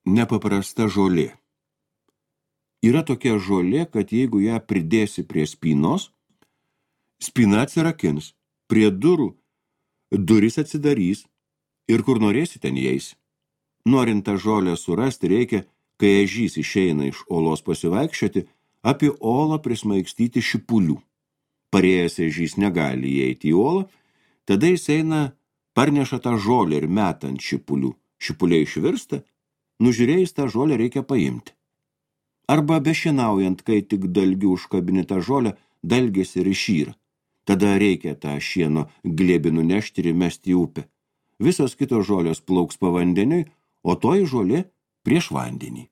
Nepaprasta žolė. Yra tokia žolė, kad jeigu ją pridėsi prie spynos, spyna atsirakins, prie durų durys atsidarys ir kur norėsi ten įeisi. Norint tą žolę surasti, reikia, kai ežys išeina iš olos pasivaikščioti, apie olą prismaigstyti šipulių. Parėjęs ežys negali įeiti į olą, tada jis eina, parneša tą žolę ir meta ant šipulių. Šipuliai išvirsta, nužiūrėjus tą žolę reikia paimti. Arba bešienaujant, kai tik dalgiu užkabini tą žolę, dalgės ir išyra. Tada reikia tą šieno glėbį nunešti ir įmesti į upę. Visos kitos žolės plauks pavandeniui, o toji žolė prieš vandenį.